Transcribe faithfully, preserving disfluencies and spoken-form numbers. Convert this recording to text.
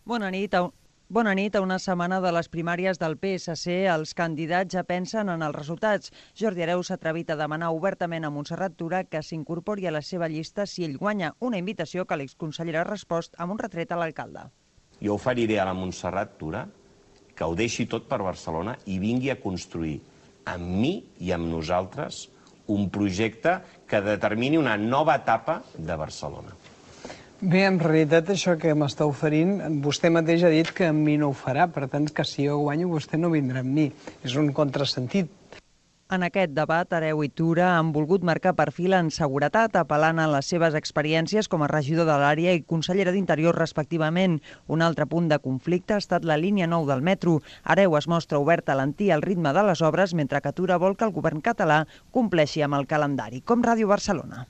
Bona nit. Bona nit. A una setmana de les primàries del P S C, els candidats ja pensen en els resultats. Jordi Hereu s'ha atrevit a demanar obertament a Montserrat Tura que s'incorpori a la seva llista si ell guanya, una invitació que l'exconsellera ha respost amb un retret a l'alcalde. Jo oferiré a la Montserrat Tura que ho deixi tot per Barcelona i vingui a construir amb mi i amb nosaltres un projecte que determini una nova etapa de Barcelona. Bé, en realitat això que m'està oferint, vostè mateix ha dit que amb mi no ho farà, per tant que si jo guanyo vostè no vindrà amb mi. És un contrasentit. En aquest debat, Hereu i Tura han volgut marcar perfil en seguretat, apel·lant a les seves experiències com a regidor de l'àrea i consellera d'Interior respectivament. Un altre punt de conflicte ha estat la línia nou del metro. Hereu es mostra obert a alentir el ritme de les obres, mentre que Tura vol que el govern català compleixi amb el calendari, com Ràdio Barcelona.